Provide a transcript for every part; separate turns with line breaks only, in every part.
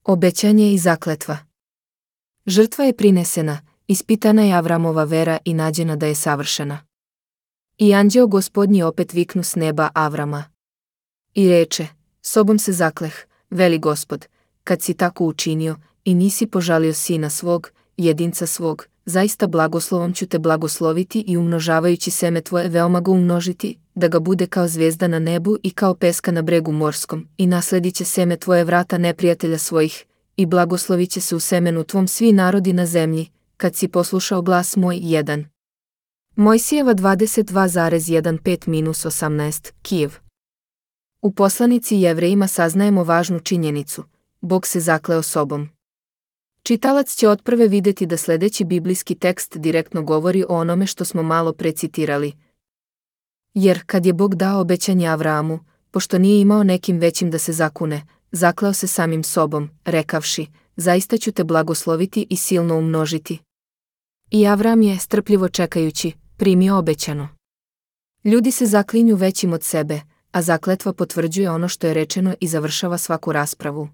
Obećanje i zakletva. Žrtva je prinesena, ispitana je Avramova vera i nađena da je savršena. I anđeo Gospodnji opet viknu s neba Avrama. I reče, sobom se zakleh, veli Gospod, kad si tako učinio i nisi požalio sina svog, jedinca svog, zaista blagoslovom ću te blagosloviti i umnožavajući seme tvoje veoma ga umnožiti, da ga bude kao zvijezda na nebu i kao peska na bregu morskom, i nasledit će seme tvoje vrata neprijatelja svojih, i blagoslovit će se u semenu tvom svi narodi na zemlji, kad si poslušao glas moj. 1. Mojsijeva 22,15-18, Kijev. U poslanici Jevrejima saznajemo važnu činjenicu, Bog se zakleo sobom. Čitalac će otprve vidjeti da sljedeći biblijski tekst direktno govori o onome što smo malo precitirali. Jer kad je Bog dao obećanje Avramu, pošto nije imao nekim većim da se zakune, zakleo se samim sobom, rekavši, zaista ću te blagosloviti i silno umnožiti. I Avram je, strpljivo čekajući, primio obećano. Ljudi se zaklinju većim od sebe, a zakletva potvrđuje ono što je rečeno i završava svaku raspravu.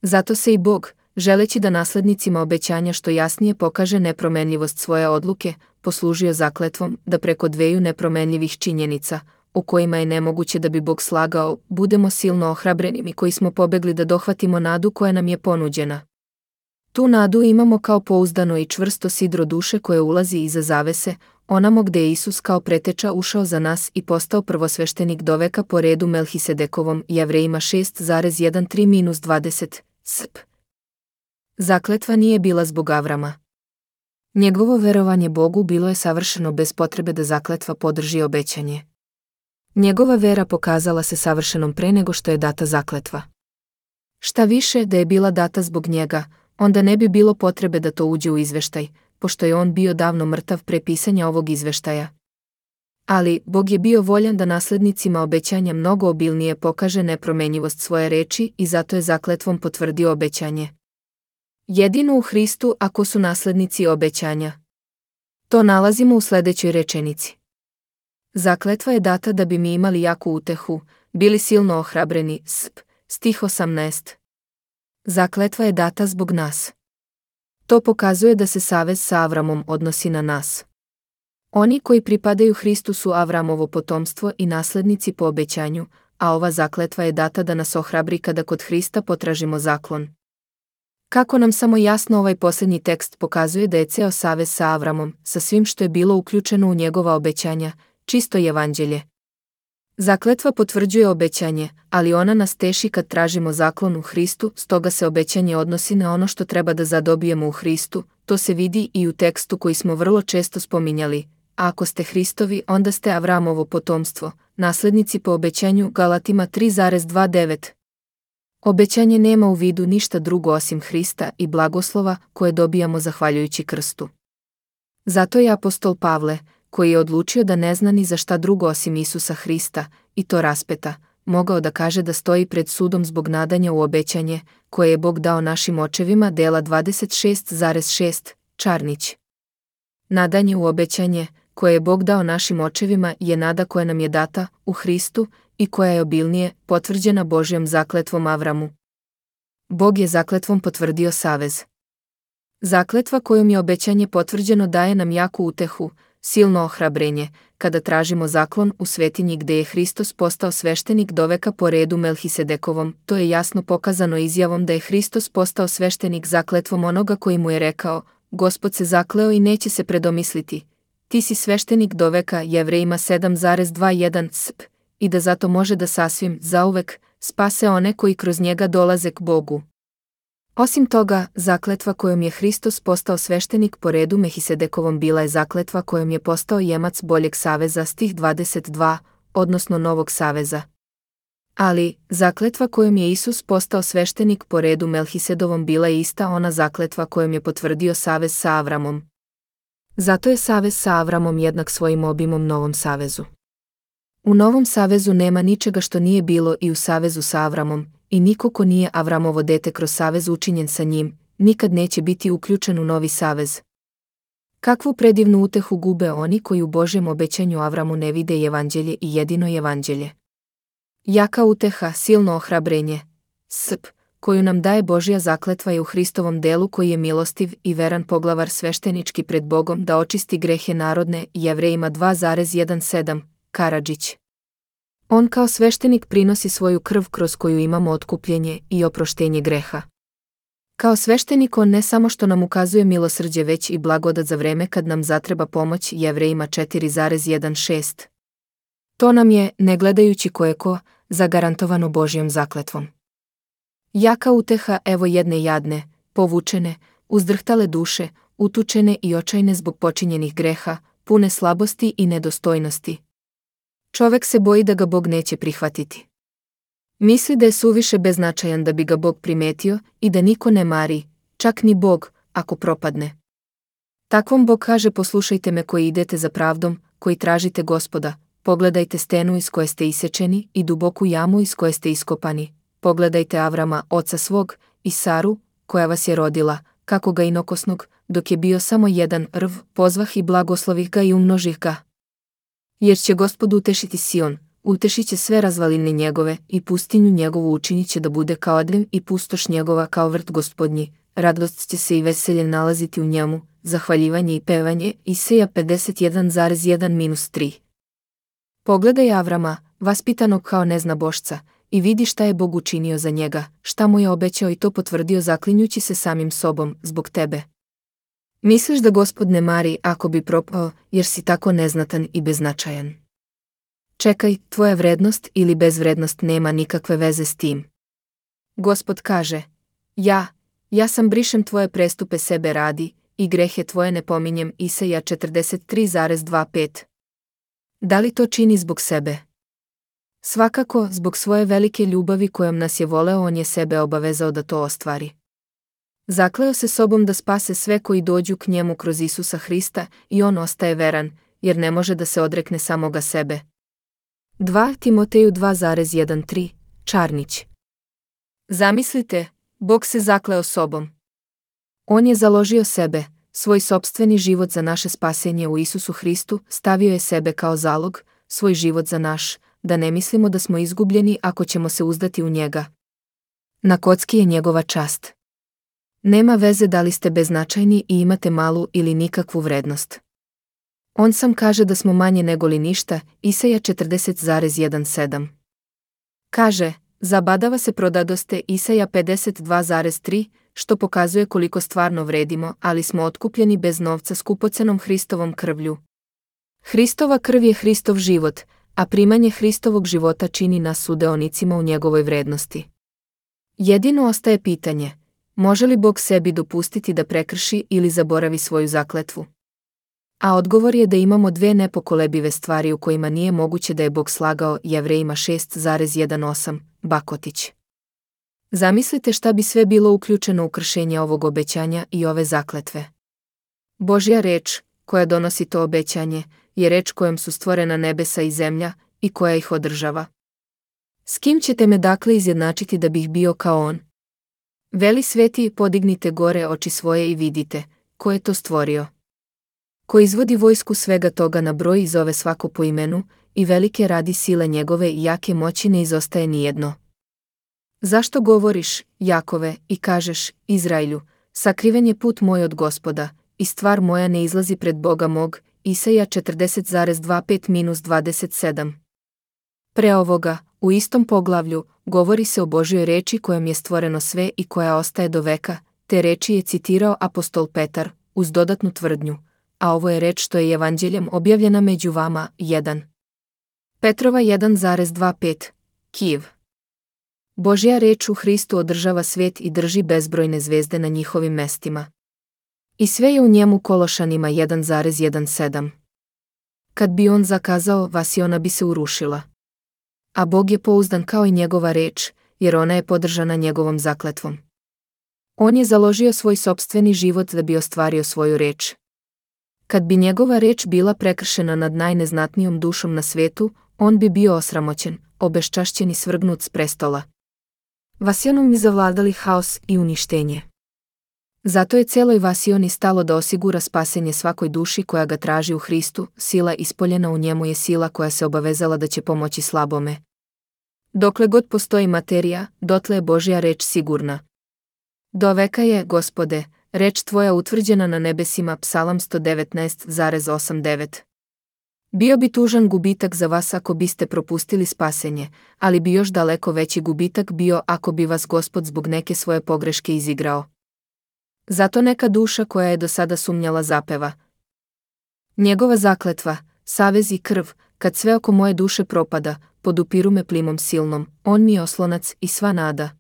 Zato se i Bog, želeći da naslednicima obećanja što jasnije pokaže nepromenljivost svoje odluke, poslužio zakletvom da preko dveju nepromenljivih činjenica, u kojima je nemoguće da bi Bog slagao, budemo silno ohrabreni mi koji smo pobegli da dohvatimo nadu koja nam je ponuđena. Tu nadu imamo kao pouzdano i čvrsto sidro duše koje ulazi iza zavese, onamo gde je Isus kao preteča ušao za nas i postao prvosveštenik doveka po redu Melhisedekovom. Jevrejima 6,13-20, sp. Zakletva nije bila zbog Avrama. Njegovo verovanje Bogu bilo je savršeno bez potrebe da zakletva podrži obećanje. Njegova vera pokazala se savršenom pre nego što je data zakletva. Šta više, da je bila data zbog njega, onda ne bi bilo potrebe da to uđe u izveštaj, pošto je on bio davno mrtav pre pisanja ovog izveštaja. Ali, Bog je bio voljan da naslednicima obećanja mnogo obilnije pokaže nepromenjivost svoje reči i zato je zakletvom potvrdio obećanje. Jedino u Hristu ako su naslednici obećanja. To nalazimo u sljedećoj rečenici. Zakletva je data da bi mi imali jaku utehu, bili silno ohrabreni, stih 18. Zakletva je data zbog nas. To pokazuje da se savez sa Avramom odnosi na nas. Oni koji pripadaju Hristu su Avramovo potomstvo i naslednici po obećanju, a ova zakletva je data da nas ohrabri kada kod Hrista potražimo zaklon. Kako nam samo jasno ovaj posljednji tekst pokazuje da je ceo savez sa Avramom, sa svim što je bilo uključeno u njegova obećanja, čisto evanđelje. Zakletva potvrđuje obećanje, ali ona nas teši kad tražimo zaklon u Hristu, stoga se obećanje odnosi na ono što treba da zadobijemo u Hristu, to se vidi i u tekstu koji smo vrlo često spominjali, a ako ste Hristovi, onda ste Avramovo potomstvo, naslednici po obećanju. Galatima 3,29. Obećanje nema u vidu ništa drugo osim Hrista i blagoslova koje dobijamo zahvaljujući krstu. Zato je apostol Pavle, koji je odlučio da ne zna ni za šta drugo osim Isusa Hrista, i to raspeta, mogao da kaže da stoji pred sudom zbog nadanja u obećanje, koje je Bog dao našim očevima. Dela 26,6, Čarnić. Nadanje u obećanje, koje je Bog dao našim očevima, je nada koja nam je data u Hristu i koja je obilnije potvrđena Božjom zakletvom Avramu. Bog je zakletvom potvrdio savez. Zakletva kojom je obećanje potvrđeno daje nam jaku utehu, silno ohrabrenje, kada tražimo zaklon u svetinji gde je Hristos postao sveštenik doveka po redu Melhisedekovom. To je jasno pokazano izjavom da je Hristos postao sveštenik zakletvom onoga koji mu je rekao, Gospod se zakleo i neće se predomisliti. Ti si sveštenik doveka. Jevrejima 7,21, sp. I da zato može da sasvim, zauvek, spase one koji kroz njega dolaze k Bogu. Osim toga, zakletva kojom je Hristos postao sveštenik po redu Melhisedekovom bila je zakletva kojom je postao jemac boljeg saveza. Stih 22, odnosno novog saveza. Ali, zakletva kojom je Isus postao sveštenik po redu Melhisedovom bila je ista ona zakletva kojom je potvrdio savez sa Avramom. Zato je savez sa Avramom jednak svojim obimom novom savezu. U novom savezu nema ničega što nije bilo i u savezu sa Avramom, i niko ko nije Avramovo dete kroz savez učinjen sa njim, nikad neće biti uključen u novi savez. Kakvu predivnu utehu gube oni koji u Božjem obećanju Avramu ne vide evanđelje i jedino evanđelje. Jaka uteha, silno ohrabrenje, koju nam daje Božja zakletva je u Hristovom delu koji je milostiv i veran poglavar sveštenički pred Bogom da očisti grehe narodne, Jevrejima 2,17, Karadžić. On kao sveštenik prinosi svoju krv kroz koju imamo otkupljenje i oproštenje greha. Kao sveštenik on ne samo što nam ukazuje milosrđe već i blagodat za vreme kad nam zatreba pomoć, Jevrejima 4,16. To nam je, ne gledajući kojeko, zagarantovano Božjom zakletvom. Jaka uteha evo jedne jadne, povučene, uzdrhtale duše, utučene i očajne zbog počinjenih greha, pune slabosti i nedostojnosti. Čovek se boji da ga Bog neće prihvatiti. Misli da je suviše beznačajan da bi ga Bog primetio i da niko ne mari, čak ni Bog, ako propadne. Takvom Bog kaže: poslušajte me koji idete za pravdom, koji tražite Gospoda, pogledajte stenu iz koje ste isečeni i duboku jamu iz koje ste iskopani, pogledajte Avrama, oca svog, i Saru, koja vas je rodila, kako ga inokosnog, dok je bio samo jedan rv, pozvah i blagoslovih ga i umnožih ga. Jer će Gospod utešiti Sion, utešit će sve razvaline njegove i pustinju njegovu učinit će da bude kao Adem i pustoš njegova kao vrt Gospodnji, radost će se i veselje nalaziti u njemu, zahvaljivanje i pevanje. Isaija 51,1-3. Pogledaj Avrama, vaspitanog kao neznabošca, i vidi šta je Bog učinio za njega, šta mu je obećao i to potvrdio zaklinjući se samim sobom, zbog tebe. Misliš da Gospod ne mari ako bi propao, jer si tako neznatan i beznačajan? Čekaj, tvoja vrednost ili bezvrednost nema nikakve veze s tim. Gospod kaže: ja sam brišem tvoje prestupe sebe radi, i grehe tvoje ne pominjem. Isaija 43,25. Da li to čini zbog sebe? Svakako, zbog svoje velike ljubavi kojom nas je voleo, on je sebe obavezao da to ostvari. Zakleo se sobom da spase sve koji dođu k njemu kroz Isusa Hrista i on ostaje veran, jer ne može da se odrekne samoga sebe. 2 Timoteju 2,1-3, Čarnić. Zamislite, Bog se zakleo sobom. On je založio sebe, svoj sopstveni život za naše spasenje u Isusu Hristu, stavio je sebe kao zalog, svoj život za naš, da ne mislimo da smo izgubljeni ako ćemo se uzdati u njega. Na kocki je njegova čast. Nema veze da li ste beznačajni i imate malu ili nikakvu vrednost. On sam kaže da smo manje nego li ništa, Isaija 40,17. Kaže: zabadava se prodadoste, Isaija 52,3, što pokazuje koliko stvarno vredimo, ali smo otkupljeni bez novca skupocenom Hristovom krvlju. Hristova krv je Hristov život, a primanje Hristovog života čini nas sudeonicima u njegovoj vrednosti. Jedino ostaje pitanje: može li Bog sebi dopustiti da prekrši ili zaboravi svoju zakletvu? A odgovor je da imamo dve nepokolebive stvari u kojima nije moguće da je Bog slagao, Jevrejima 6,18, Bakotić. Zamislite šta bi sve bilo uključeno u kršenje ovog obećanja i ove zakletve. Božja reč, koja donosi to obećanje, je reč kojom su stvorena nebesa i zemlja i koja ih održava. S kim ćete me dakle izjednačiti da bih bio kao on? Veli sveti, podignite gore oči svoje i vidite, ko je to stvorio. Ko izvodi vojsku svega toga na broj i zove svako po imenu, i velike radi sile njegove i jake moći ne izostaje nijedno. Zašto govoriš, Jakove, i kažeš, Izraelju, sakriven je put moj od Gospoda, i stvar moja ne izlazi pred Boga mog, Isaija 40,25-27. Pre ovoga, u istom poglavlju, govori se o Božjoj reči kojom je stvoreno sve i koja ostaje do veka, te reči je citirao apostol Petar, uz dodatnu tvrdnju, a ovo je reč što je evanđeljem objavljena među vama, 1. Petrova 1,25, Kijev. Božja reč u Hristu održava svijet i drži bezbrojne zvezde na njihovim mestima. I sve je u njemu. Kološanima 1,17. Kad bi on zakazao vas i ona bi se urušila. A Bog je pouzdan kao i njegova reč, jer ona je podržana njegovom zakletvom. On je založio svoj sopstveni život da bi ostvario svoju reč. Kad bi njegova reč bila prekršena nad najneznatnijom dušom na svetu, on bi bio osramoćen, obeščašćen i svrgnut s prestola. Vasionom bi zavladali haos i uništenje. Zato je celoj Vasioni stalo da osigura spasenje svakoj duši koja ga traži u Hristu, sila ispoljena u njemu je sila koja se obavezala da će pomoći slabome. Dokle god postoji materija, dotle je Božja reč sigurna. Do veka je, Gospode, reč tvoja utvrđena na nebesima. Psalam 119,89. Bio bi tužan gubitak za vas ako biste propustili spasenje, ali bi još daleko veći gubitak bio ako bi vas Gospod zbog neke svoje pogreške izigrao. Zato neka duša koja je do sada sumnjala zapeva. Njegova zakletva, savez i krv, kad sve oko moje duše propada, podupiru me plimom silnom, on mi je oslonac i sva nada.